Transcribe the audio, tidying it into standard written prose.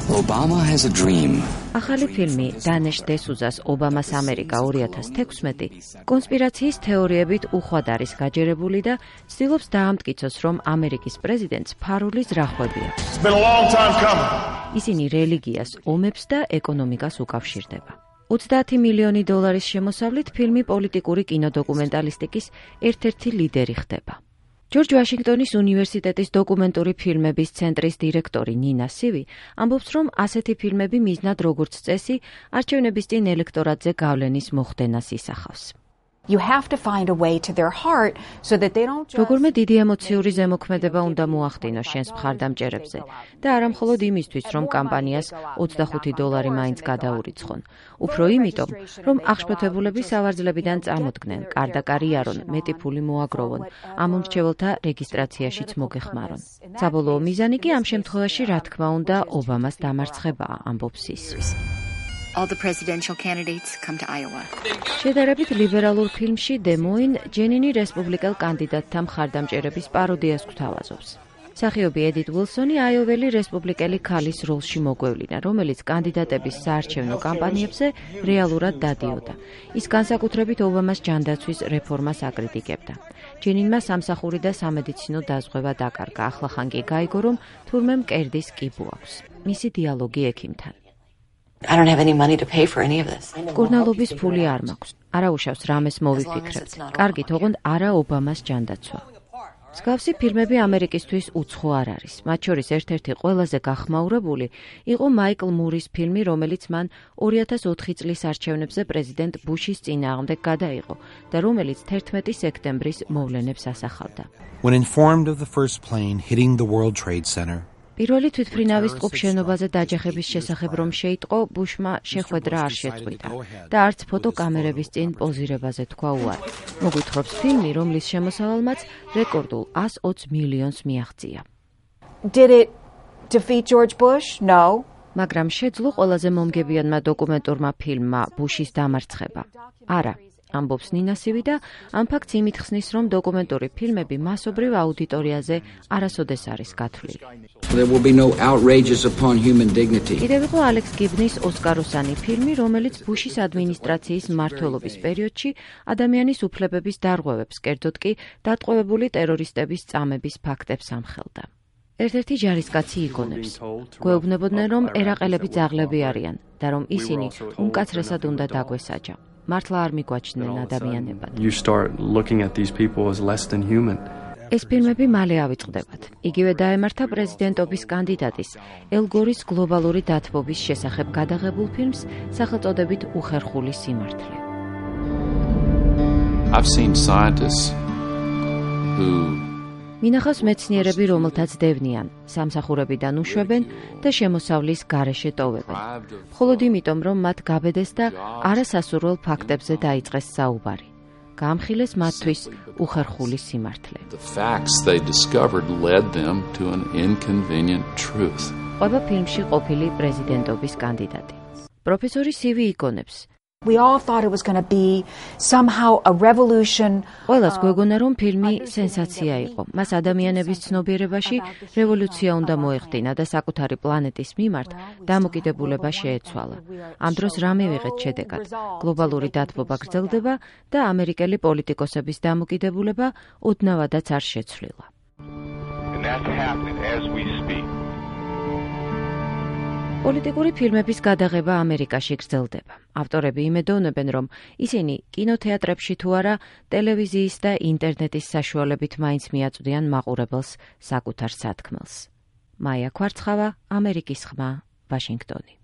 Obama has a dream. ახალი ფილმი დანეშ დესუზას ობამას ამერიკა 2016 კონსპირაციის თეორიებით უხვად არის გაჯერებული და ცდილობს დაამტკიცოს, რომ ამერიკის პრეზიდენტს ფარული ზრახვები აქვს. ისინი რელიგიას, ომებს და ეკონომიკას უკავშირდება. 30 მილიონი დოლარის შემოსავლით ფილმი პოლიტიკური კინოდოკუმენტალისტიკის ერთ-ერთი ლიდერი ხდება. ჯორჯ ვაშინგტონის უნივერსიტეტის დოკუმენტური ფილმების ცენტრის დირექტორი ნინა სივი ამბობს, რომ ასეთი ფილმები მიზნად როგორც წესი არჩევნების წინ ელექტორატზე გავლენის მოხდენას ისახავს. Როგორმე დიდი ემოციური ზემოქმედება უნდა მოახდინოს შენს მხარდამჭერებზე და არა მხოლოდ იმისთვის, რომ კამპანიას $25 მაინც გადაურიცხონ. უფრო იმიტომ, რომ აღშფოთებულები სავარძლებიდან წამოდგნენ, კარდა კარიერონ, მეტი ფული მოაგროვონ, ამომრჩეველთა რეგისტრაციაშიც მოგეხმარონ. საბოლოო მიზანი კი ამ შემთხვევაში, რა თქმა უნდა, ობამას დამარცხებაა, ამბობს ის. All the presidential candidates come to Iowa. შედარებით ლიბერალურ ფილმში დემოინ ჯენინი რესპუბლიკელ კანდიდატთა მხარდამჭერების პაროდიას გვთავაზობს. მსახიობი ედით უილსონი აიოველი რესპუბლიკელი ქალის როლში მოგვევლინა, რომელიც კანდიდატების საარჩევნო კამპანიებზე რეალურად დადიოდა. ის განსაკუთრებით ობამას ჯანდაცვის რეფორმას აკრიტიკებდა. ჯენინმა სამსახური და სამედიცინო დაზღვევა დაკარგა, ახლახან კი გაიგო, რომ თურმე მკერდის კიბო აქვს. მისი დიალოგი ექიმთან. I don't have any money to pay for any of this. კურნალობის ფული არ მაქვს. არა უშავს რამეს მოვიფიქრებთ. კარგით, ოღონდ არა ობამას ჯანდაცვა. მსგავსი ფილმები ამერიკისთვის უცხო არ არის. მათ შორის ერთ-ერთი ყველაზე გახმაურებული იყო მაიკლ მურის ფილმი, რომელიც მან 2004 წლის არჩევნებზე პრეზიდენტ ბუშის წინააღმდეგ გადაიღო და რომელიც 11 სექტემბრის მოვლენებს ასახავდა. When informed of the first plane hitting the World Trade Center, პირველი თვითმფრინავის ტყუპ შენობაზე დაჯახების შესახებ რომ შეიტყო, ბუშმა შეხვედრა არ შეწყვიტა და არც ფოტოკამერების წინ პოზირებაზე თქვა უარი. მოგვითხრობს ფილმი, რომლის შემოსავალმაც რეკორდულ 120 მილიონს მიაღწია. Did it defeat George Bush? No. მაგრამ შეძლო ყველაზე მომგებიანმა დოკუმენტურმა ფილმმა ბუშის დამარცხება. არა. ამბობს ნინა სივი და ამ ფაქტს იმით ხსნის, რომ დოკუმენტური ფილმები მასობრივ აუდიტორიაზე არასოდეს არის გათვლილი. კიდევ იყო ალექს გიბნის ოსკაროსანი ფილმი, რომელიც ბუშის ადმინისტრაციის მმართველობის პერიოდში ადამიანის უფლებების დარღვევებს, კერძოდ კი დატყვევებული ტერორისტების წამების ფაქტებს ამხელდა. ერთ-ერთი ჯარისკაცი იგონებს. გვეუბნებოდნენ, რომ ერაყელები ძაღლები არიან და რომ ისინი უმკაცრესად უნდა დაგვესაჯა. მართლა არ მიგვაჩნდნენ ადამიანებად. ეს ფილმები მალე ავიწყდებათ. იგივე დაემართა პრეზიდენტობის კანდიდატის ელ გორის გლობალური დათბობის შესახებ გადაღებულ ფილმს სახელწოდებით უხერხული სიმართლე. მინახავს მეცნიერები, რომელთაც დევნიან, სამსახურებიდან უშვებენ და შემოსავლის გარეშე ტოვებენ. მხოლოდ იმიტომ, რომ მათ გაბედეს და არასასურველ ფაქტებზე დაიწყეს საუბარი. გაამხილეს მათთვის უხერხული სიმართლე. ყვება ფილმში ყოფილი პრეზიდენტობის კანდიდატი. პროფესორი სივი იგონებს. We all thought it was going to be somehow a revolution. ყველას გვეგონა, რომ ფილმი სენსაცია იყო. მას ადამიანების ცნობიერებაში რევოლუცია უნდა მოეხდინა და საკუთარი პლანეტის მიმართ დამოკიდებულება შეეცვალა. ამ დროს რა მივიღეთ შედეგად? გლობალური დათბობა გრძელდება და ამერიკელი პოლიტიკოსების დამოკიდებულება ოდნავადაც არ შეცვლილა. პოლიტიკური ფილმების გადაღება ამერიკაში გრძელდება. ავტორები იმედოვნებენ, რომ ისინი კინოთეატრებში თუ არა, ტელევიზიის და ინტერნეტის საშუალებით მაინც მიაწვდიან მაყურებელს საკუთარ სათქმელს. მაია ქვარცხავა, ამერიკის ხმა, ვაშინგტონი.